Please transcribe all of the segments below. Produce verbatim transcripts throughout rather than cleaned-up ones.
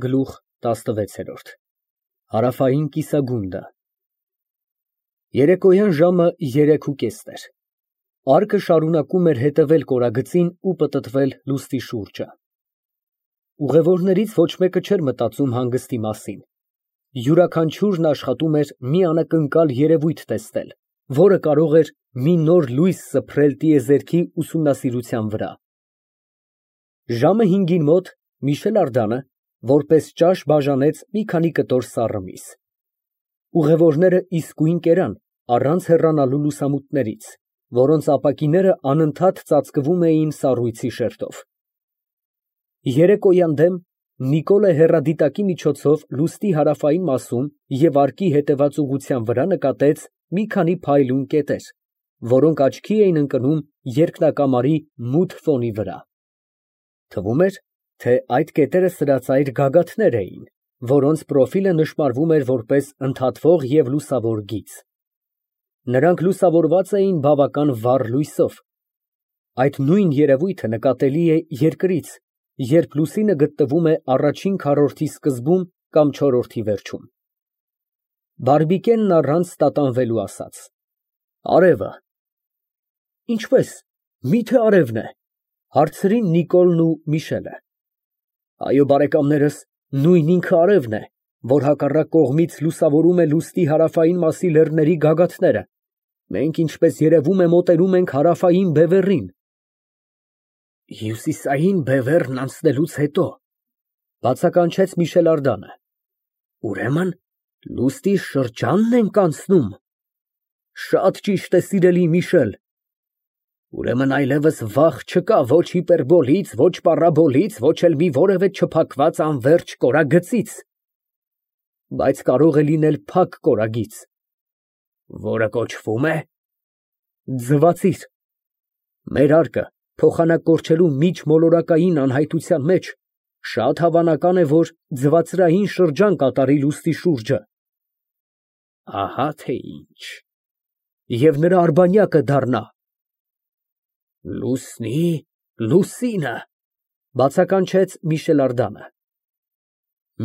Գլուխ տասնվեց։ Հարավային կիսագունդը։ Երեկոյան ժամը երեքուկեսն էր։ Արկը շարունակում էր հետևել կորագծին ու պտտվել լուստի շուրջը։ Ուղևորներից ոչ մեկը չէր մտածում հանգստի մասին։ Յուրաքանչյուրն աշխատում էր մի անակնկալ երևույթ տեսնել, որը կարող էր մի նոր լույս սփռել տիեզերքի ուսումնասիրության վրա։ Ժամը հինգին մոտ Միշել Արգանը որպես ճաշ բաժանեց մի քանի կտոր սառը միս։ Ուղևորները իսկույն կերան, առանց հեռանալու լուսամուտներից, որոնց ապակիները անընդհատ ծածկվում էին սառույցի շերտով։ Երեկոյան դեմ Նիկոլը հեռադիտակի միջոցով լուստի հարավային մասում և արկի հետևած ուղղության վրա նկատեց մի քանի փայլուն կետեր, որոնք աչքի էին ընկնում երկնակամարի մութ ֆոնի վրա։ Թվում էր, թե այդ կետերը սրածայր գագաթներ էին, որոնց պրոֆիլը նշմարվում էր որպես ընդհատվող և լուսավոր գիծ։ Նրանք լուսավորված էին բավական վառ լույսով։ Այդ նույն երևույթը նկատելի է երկրից, երբ լուսինը գտնվում է առաջին քառորդի սկզբում կամ չորրորդի վերջում։ Բարբիկենն առանց տատանվելու ասաց. Արևը։ Ինչպե՞ս, մի՞թե արևն է, հարցրին Նիկոլն ու Միշելը։ Այո, բարեկամներս, նույն ինքը արևն է, որ հակառակ կողմից լուսավորում է լուստի հարավային մասի լեռների գագաթները։ Մենք, ինչպես երևում է, մոտենում ենք հարավային բևեռին։ Հյուսիսային բևեռն անցնելուց հետո, բացականչեց Միշել Արգանը, ուրեմն լուստի շրջա՞նն ենք անցնում։ Շատ ճիշտ է, սիրելի Միշել։ Ուրեմն այլևս վախ չկա ոչ հիպերբոլից, ոչ պարաբոլից, ոչ էլ մի որևէ չփակված անվերջ կորագծից։ Բայց կարող է լինել փակ կորագիծ, որը կոչվում է ձվացիր։ Մեր արկը փոխանակկորչելու միջմոլորակային անհայտության մեջ շատ հավանական է, որ ձվածրային շրջան կատարի լուստի շուրջը։ Ահա թե ինչ։ Եվ նրա արբանյակը դառնա լուսնի լուսինը, բացականչեց Միշել Արգանը։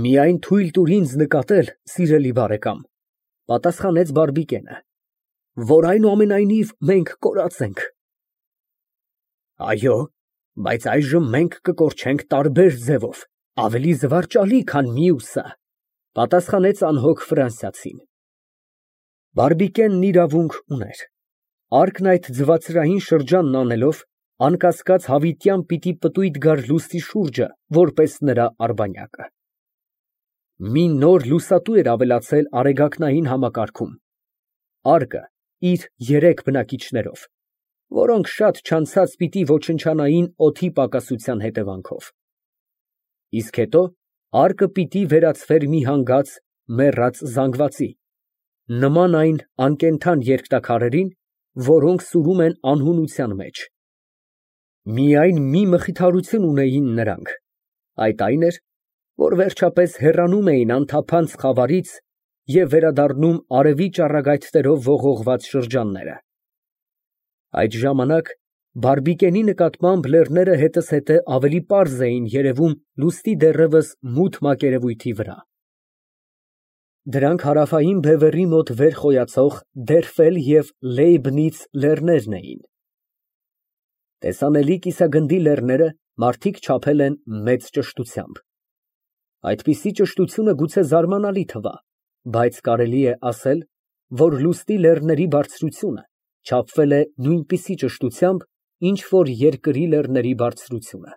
Միայն թույլ տուր ինձ նկատել, սիրելի բարեկամ, պատասխանեց Բարբիկենը, որ այնուամենայնիվ մենք կորած ենք։ Այո, բայց այժմ մենք կկորչենք տարբեր ձևով, ավելի զվարճալի, քան մյուսը, պատասխանեց անհոգ ֆրանսիացին։ Բարբիկենն իրավունք ուներ։ Արկն այդ ձվածրային շրջանն անելով, անկասկած հավիտյան պիտի պտույտ գար լուստի շուրջը, որպես նրա արբանյակը։ Մի նոր լուսատու էր ավելացել արեգակնային համակարգում։ Արկը իր երեք բնակիչներով, որոնք շատ չանցած պիտի ոչնչանային օդի պակասության հետևանքով։ Իսկ հետո արկը պիտի վերածվեր մի հանգած, մեռած զանգվածի, նման այն անկենդան երկնաքարերին, որոնք սուրում են անհունության մեջ։ Միայն մի մխիթարություն ունեին նրանք, այդ այն էր, որ վերջապես հեռանում էին անթափանց խավարից և վերադառնում արևի ճառագայթներով ողողված շրջանները։ Այդ ժամանակ Բարբիկենի նկատմամբ լեռները հետզհետե ավելի պարզ էին երևում լուստի դեռևս մութ մակերևույթի վրա։ Դրանք հարավային բևեռի մոտ վեր խոյացող Դերֆել և Լեյբնից լեռներն էին։ Տեսանելի կիսագնդի լեռները մարդիկ չափել են մեծ ճշտությամբ։ Այդպիսի ճշտությունը գուցե զարմանալի թվա, բայց կարելի է ասել, որ լուստի լեռների բարձրությունը չափվել է նույնպիսի ճշտությամբ, ինչ որ երկրի լեռների բարձրությունը։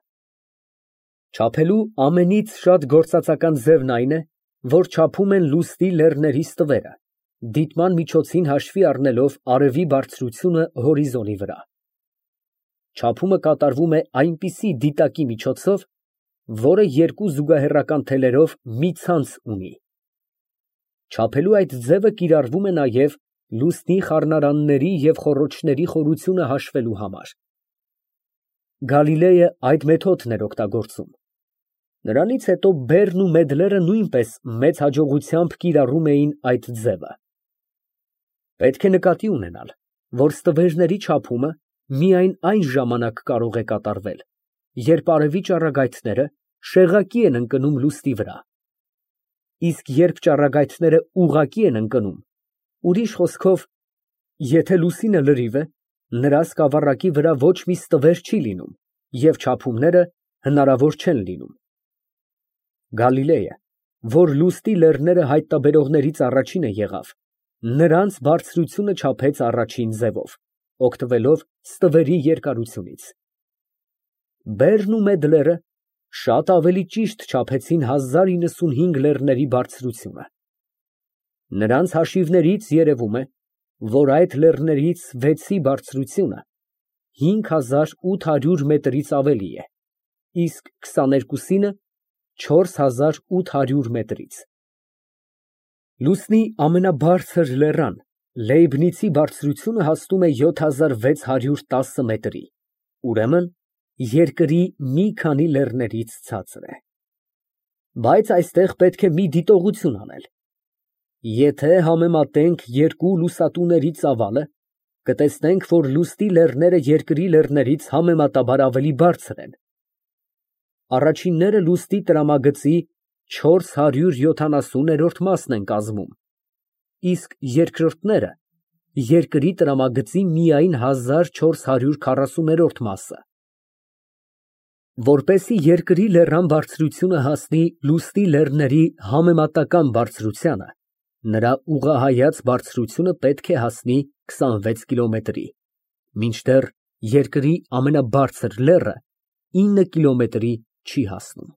Չափելու ամենից շատ գործածական ձևն այն է, որ չափում են լուստի լեռների ստվերը, դիտման միջոցին հաշվի առնելով արևի բարձրությունը հորիզոնի վրա։ Չափումը կատարվում է այնպիսի դիտակի միջոցով, որը երկու զուգահեռական թելերով մի ցանց ունի։ Չափելու այդ ձևը կիրառվում է նաև լուսնի խառնարանների և խոռոչների խորությունը հաշվելու համար։ Գալիլեյը այդ մեթոդն էր օգտագործում։ Նրանից հետո Բերն ու Մեդլերը նույնպես մեծ հաջողությամբ կիրառում էին այդ ձևը։ Պետք է նկատի ունենալ, որ ստվերների չափումը միայն այն ժամանակ կարող է կատարվել, երբ արևի ճառագայթները շեղակի են ընկնում լուսնի վրա, իսկ երբ ճառագայթները ուղղակի են ընկնում, ուրիշ խոսքով, եթե լուսինը լրիվ է, նրա սկավառակի վրա ոչ մի ստվեր չի լինում և չափումները հնարավոր չեն լինում։ Գալիլեյը, որ լուսնի լեռները հայտնաբերողներից առաջինը եղավ, նրանց բարձրությունը չափեց առաջին ձևով, օգտվելով ստվերի երկարությունից։ Բերն ու Մեդլերը շատ ավելի ճիշտ չափեցին հազար իննսունհինգ լեռների բարձրությունը։ Նրանց հաշիվներից երևում է, որ այդ լեռներից վեցի բարձրությունը հինգ հազար ութ հարյուր մետրից ավելի է, իսկ քսաներկուսինը չորս հազար ութ հարյուր մետրից։ Լուսնի ամենաբարձր լեռան Լեյբնիցի բարձրությունը հասնում է յոթ հազար վեց հարյուր տասը մետրի, ուրեմն երկրի մի քանի լեռներից ցածր է։ Բայց այստեղ պետք է մի դիտողություն անել։ Եթե համեմատենք երկու լուսատուների ծավալը, կտեսնենք, որ լուսնի լեռները երկրի լեռներից համեմատաբար ավելի բարձր են։ Առաջինները լուսնի տրամագծի չորս հարյուր յոթանասուններորդ մասն են կազմում, իսկ երկրորդները երկրի տրամագծի միայն հազար չորս հարյուր քառասուներորդ մասը։ Որպեսզի երկրի լեռան բարձրությունը հասնի լուսնի լեռների համեմատական բարձրությանը, նրա ուղղահայաց բարձրությունը պետք է հասնի քսանվեց կիլոմետրի, մինչդեռ երկրի ամենաբարձր լեռը ինը կիլոմետրի չի հասնում։